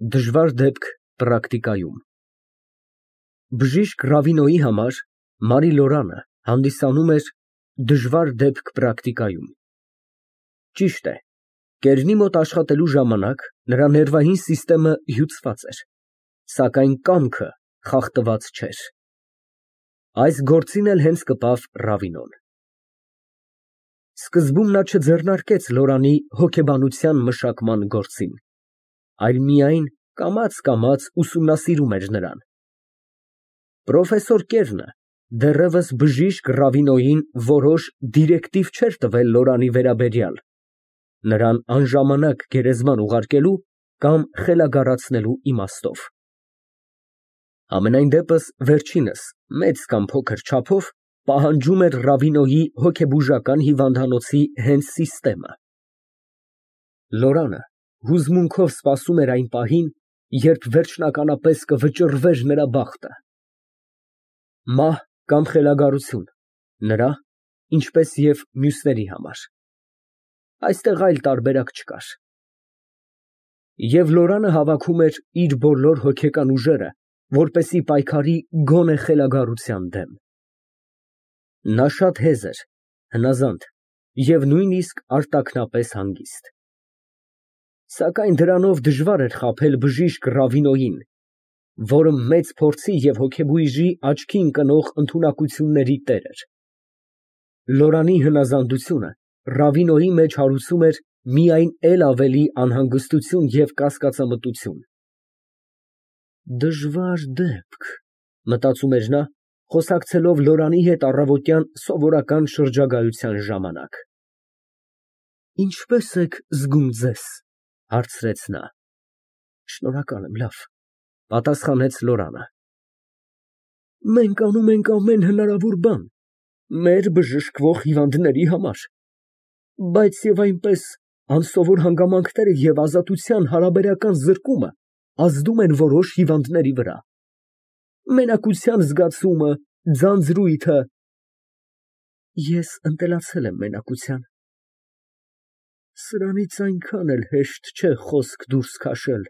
Դժվար դեպք պրակտիկայում։ Բժիշկ Ռավինոյի համար Մարի Լորանը հանդիսանում էր դժվար դեպք պրակտիկայում։ Ճիշտ է, կերնի մոտ աշխատելու ժամանակ նրա ներվային սիստեմը հյուծված էր, սակայն կամքը խախտված չէր։ Այս գործին էլ հենց կպավ Ռավինոն։ Սկզբում նա չձեռնարկեց Լորանի հոգեբանության մշակման գործին, այլ միայն կամաց ուսումնասիրում էր նրան։ Պրոֆեսոր Կերնը դեռևս բժիշկ Ռավինոյին որոշ դիրեկտիվ չէր տվել Լորանի վերաբերյալ, նրան անժամանակ գերեզման ուղարկելու կամ խելագարացնելու իմաստով։ Համենայն դեպս վերջինս մեծ կամ փոքր չափով պահանջում էր Ռավինոյի հոգեբուժական հիվանդանոցի հենց սիստեմը։ Լորանը հուզմունքով սպասում էր այն պահին, երբ վերջնականապես կվճռվեր նրա բախտը։ Մահ կամ խելագարություն նրա, ինչպես և մյուսների համար։ Այստեղ այլ տարբերակ չկար։ Եվ Լորանը հավաքում էր իր բոլոր հոգեկան ուժերը, որպեսզի պայքարի գոնե խելագարության դեմ։ Նա շատ հեզ էր, հնազանդ և նույնիսկ արտաքնապես հանգիստ։ Սակայն դրանով դժվար էր խաբել բժիշկ Ռավինոյին, որը մեծ փորձի և հոգեբույժի աչքի ընկնող ընդունակությունների տեր էր։ Լորանի հնազանդությունը Ռավինոյի մեջ հարուցում էր միայն էլ ավելի անհանգստություն և կասկածամտություն։ Դժվար դեպք, մտածում էր նա, խոսակցելով Լորանի հետ առավոտյան սովորական շրջագայության ժամանակ։ Ինչպե՞ս եք զգում ձեզ, հարցրեց նա։ Շնորհակալ եմ, լավ, պատասխանեց Լորանը։ Մենք անում ենք ամեն հնարավոր բան մեր բժշկվող հիվանդների համար, բայց և այնպես անսովոր հանգամանքները և ազատության հարաբերական զրկումը ազդում են որոշ հիվանդների վրա։ Մենակության զգացումը, ձանձրույթը… Ես ընտելացել եմ մենակության։ Սրանից այնքան էլ հեշտ չէ խոսք դուրս քաշել,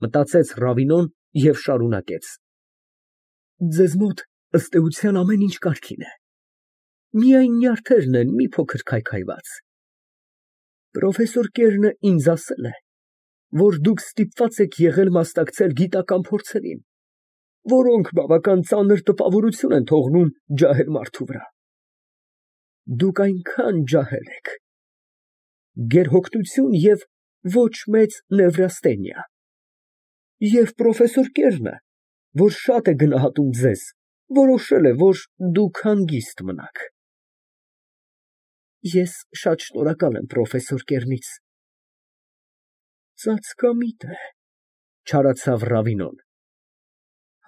մտածեց Ռավինոն և շարունակեց. Ձեզ մոտ, ըստ էության, ամեն ինչ կարգին է, միայն նյարդերն են մի փոքր քայքայված։ Պրոֆեսոր Կերնը ինձ ասել է, որ դուք ստիպված եք եղել մասնակցել գիտական փորձերին, որոնք բավական ծանր տպավորություն են թողնում ջահել մարդու վրա։ Դուք այնքան ջահել եք, գերհոգնություն և ոչ մեծ նևրաստենիա։ Եվ պրոֆեսոր Կերնը, որ շատ է գնահատում ձեզ, որոշել է, որ դուք հանգիստ մնաք։ Ես շատ շնորհակալ եմ պրոֆեսոր Կերնից։ Ծածկամիտ է, չարացավ Ռավինոն։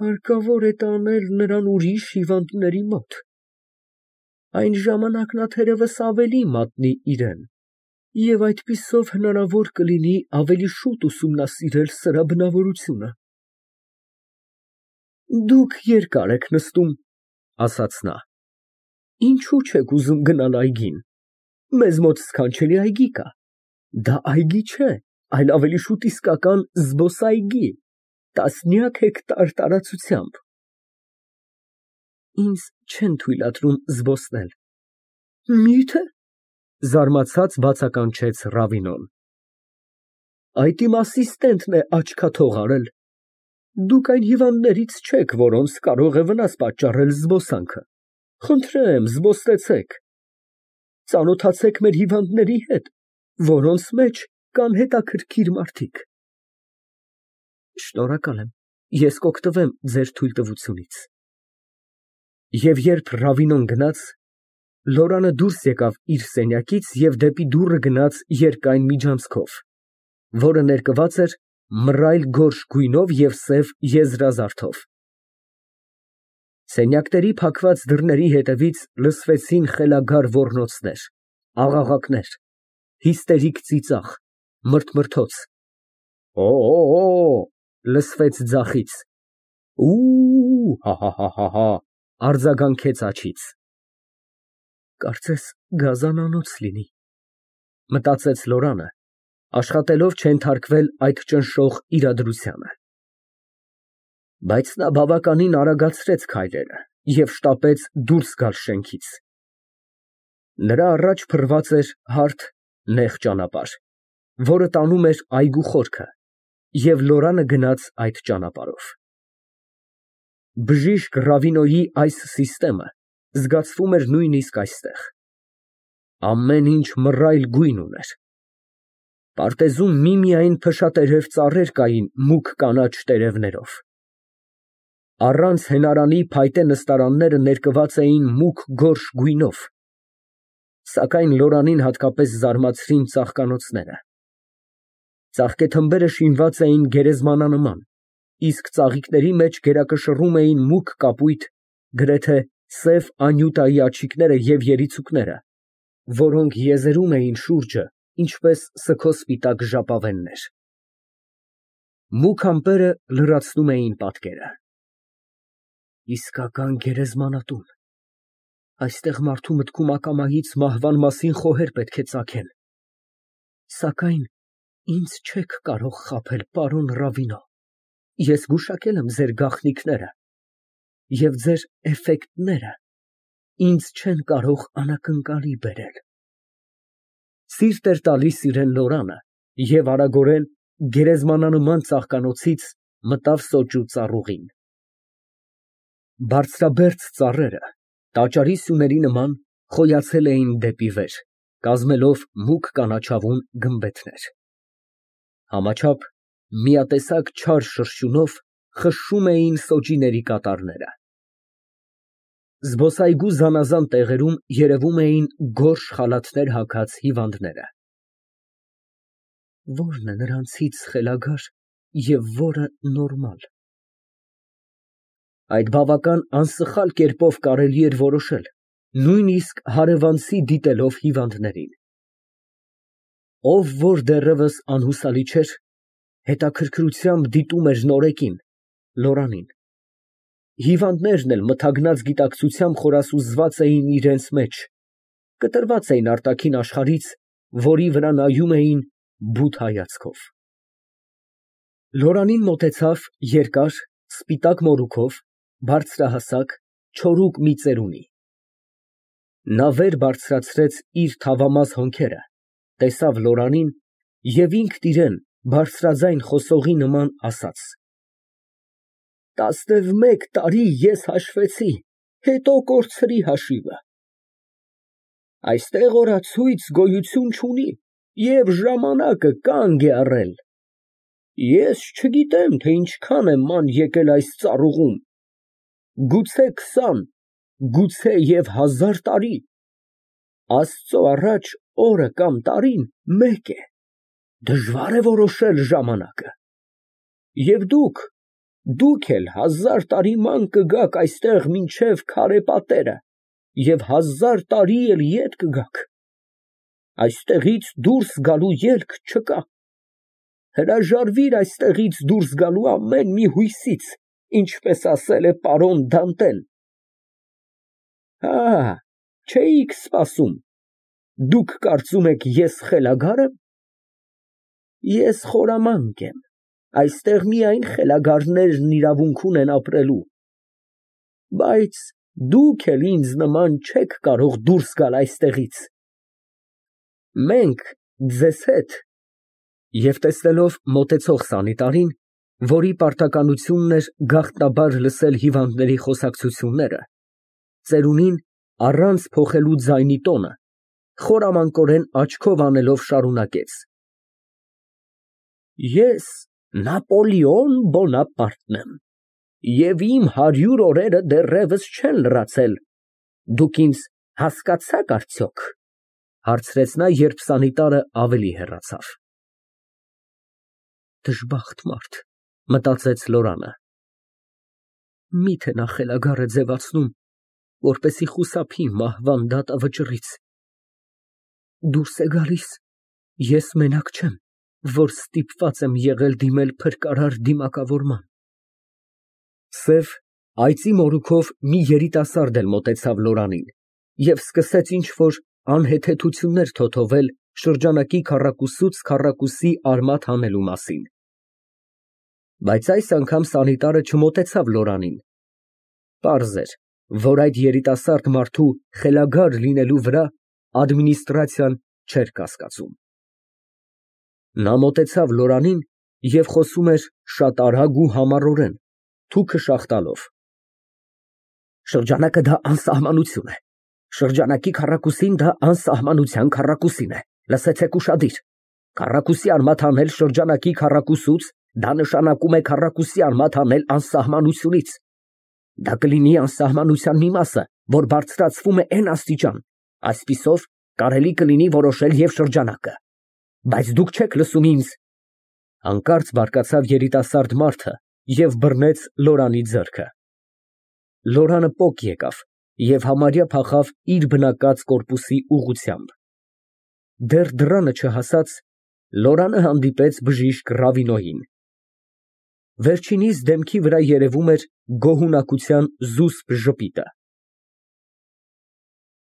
Հարկավոր է տանել նրան ուրիշ հիվանդների մոտ։ Այն ժամանակ նա թերևս ավելի մատնի իրան, և այդպիսով հնարավոր կլինի ավելի շուտ ուսումնասիրել սրա բնավորությունը։ Դուք երկար եք նստում, ասաց նա։ Ինչու չեք ուզում գնալ այգին։ Մեզ մոտ սքանչելի այգի կա։ Դա այգի չէ, այլ ավելի շուտ իսկական զբոսայգի, տասնյակ հեկտար տարածությամբ։ Ինձ չեն թույլատրում զբոսնել։ Մի՞թե, զարմացած բացականչեց Ռավինոն։ Այդ իմ ասիստենտն է աչքաթող արել։ Դուք այն հիվանդներից չեք, որոնց կարող է վնաս պատճառել զբոսանքը։ Խնդրեմ, զբոսնեցեք։ Ծանոթացեք մեր հիվանդների հետ, որոնց մեջ կան հետաքրքիր մարդիկ։ Շնորհակալ եմ, ես կօգտվեմ ձեր թույլտվությունից։ Եվ երբ Ռավինոն գնաց, Լորանը դուրս եկավ իր սենյակից և դեպի դուռը գնաց երկայն միջանցքով, որը ներկված էր մռայլ գորշ գույնով և սև եզրազարդով։ Սենյակների փակված դռների հետևից լսվեցին խելագար ոռնոցներ, աղաղակներ, հիստերիկ ծիծաղ, մրթմրթոց։ Լսվեց ձախից։ Հա, արձագանքեց աջից։ Կարծես գազանանոց լինի, մտածեց Լորանը, աշխատելով չենթարկվել այդ ճնշող իրադրությանը։ Բայց նա բավականին արագացրեց քայլերը և շտապեց դուրս գալ շենքից։ Նրա առաջ փռված էր հարթ, նեղ ճանապարհ, որը տանում էր այգու խորքը, և Լորանը գնաց այդ ճանապարհով։ Բժիշկ Ռավինոյի այս սիստեմը զգացվում էր նույնիսկ այստեղ։ Ամեն ինչ մռայլ գույն ուներ։ Պարտեզում միմիայն փշատերև ծառեր կային մուգ կանաչ տերևներով։ Առանց հենարանի փայտե նստարանները ներկված էին մուգ գորշ գույնով, սակայն Լորանին հատկապես զարմացրին ծաղկանոցները։ Ծաղկեթմբերը շինված էին գերեզմանանման, իսկ ծաղիկների մեջ գերակշռում էին մուգ կապույտ, գրեթե սև անյուտայի աջիկները և երիցուկները, որոնք եզերում էին շուրջը, ինչպես սգոսպիտակ ժապավեններ։ Մուգ ամպերը լրացնում էին պատկերը։ Իսկական գերեզմանատուն։ Այստեղ մարդու մտքում ակամայից մահվան մասին խոհեր պետք է ծագեն։ Սակայն ինձ չեք կարող խաբել, պարոն Ռավինո, ես գուշակել եմ ձեր գաղտնիքները, և ձեր էֆեկտները ինձ չեն կարող անակնկալի բերել։ Սիրտ էր տալիս իրան Լորանը և արագորեն գերեզմանանման ծաղկանոցից մտավ սոճու ծառուղին։ Բարձրաբերձ ծառերը տաճարի սյուների նման խոյացել էին դեպի վեր, կազմելով մուգ կանաչավուն գմբեթներ։ Համաչափ միատեսակ չար շրշյունով խշշում էին սոճիների կատարները։ Զբոսայգու զանազան տեղերում երևում էին գորշ խալաթներ հագած հիվանդները։ Ո՞րն է նրանցից խելագար և որը նորմալ։ Այդ բավական անսխալ կերպով կարելի էր որոշել, նույնիսկ հարևանցի դիտելով հիվանդներին։ Ով որ դեռևս անհուսալի չէր, հետաքրքրությամբ դիտում էր նորեկին, Լորանին։ Հիվանդներն էլ մթագնած գիտակցությամբ խորասուզված էին իրենց մեջ, կտրված էին արտաքին աշխարհից, որի վրա նայում էին բութ հայացքով։ Լորանին մոտեցավ երկար, սպիտակ մորուքով, բարձրահասակ, չորուկ մի ծերունի։ Նա վեր բարձրացրեց իր թավամազ հոնքերը, տեսավ Լորանին և ինքն իրան բարձրաձայն խոսողի նման ասաց. 11 տարի ես հաշվեցի, հետո կորցրի հաշիվը։ Այստեղ օրացույց գոյություն չունի և ժամանակը կանգ է առել։ Ես չգիտեմ, թե ինչքան է ման եկել այս ծառուղում, գուցե 20, գուցե և 1000 տարի, Աստծո առաջ օրը կամ տարին մեկ է, դժվար է որոշել ժամանակը։ Եվ դուք էլ 1000 տարի ման կգաք այստեղ մինչև քարե պատերը և 1000 տարի էլ ետ կգաք։ Այստեղից դուրս գալու ելք չկա։ Հրաժարվիր այստեղից դուրս գալու ամեն մի հույսից, ինչպես ասել է պարոն Դանտեն։ Չէիք սպասում, դուք կարծում եք ես խելագար եմ։ Ես խորամանկ եմ, այստեղ միայն խելագարներն իրավունք ունեն ապրելու, բայց դուք էլ ինձ նման չեք կարող դուրս գալ այստեղից։ Մենք ձեզ հետ… Եվ տեսնելով մոտեցող սանիտարին, որի պարտականությունն էր գաղտնաբար լսել հիվանդների խոսակցությունները, ծերունին, առանց փոխելու ձայնի տոնը, խորամանկորեն աչքով անելով շարունակեց. Ես Նապոլեոն Բոնապարտն եմ, և իմ 100 օրերը դեռևս չեն լրացել, դուք ինձ հասկացա՞ք արդյոք, հարցրեց նա, երբ սանիտարը ավելի հեռացավ։ Դժբախտ մարդ, մտածեց Լորանը։ Միթե նա խելագար է ձևացնում, որպեսզի խուսափի մահվան դատավճռից։ Դուրս է գալիս, ես մենակ չեմ, որ ստիպված եմ եղել դիմել փրկարար դիմակավորման։ Սև, այծի մորուքով մի երիտասարդ էլ մոտեցավ Լորանին և սկսեց ինչ֊որ անհեթեթություններ թոթովել շրջանակի քառակուսուց քառակուսի արմատ հանելու մասին։ Բայց այս անգամ սանիտարը չմոտեցավ Լորանին։ Պարզ էր, որ այդ երիտասարդ մարդու խելագար լինելու վրա ադմինիստրացիան չէր կասկածում։ Նա մոտեցավ Լորանին և խոսում էր շատ արագ ու համառորեն, թուքը շաղտալով։ Շրջանակը դա անսահմանություն է, շրջանակի քառակուսին դա անսահմանության քառակուսին է, լսեցեք ուշադիր, քառակուսի արմատ հանել շրջանակի քառակուսուց, դա նշանակում է քառակուսի արմատ հանել անսահմանությունից, դա կլինի անսահմանության մի մասը, որ բարձրացվում է էն աստիճան, այսպիսով կարելի կլինի որոշել և շրջանակը, բայց դուք չեք լսում ինձ։ Հանկարծ բարկացավ երիտասարդ մարդը և բռնեց Լորանի ձեռքը։ Լորանը պոկ եկավ և համարյա փախավ իր բնակած կորպուսի ուղղությամբ։ Դեռ դռանը չհասած, Լորանը հանդիպեց բժիշկ Ռավինոյին։ Վերջինիս դեմքի վրա երևում էր գոհունակության զուսպ ժպիտը։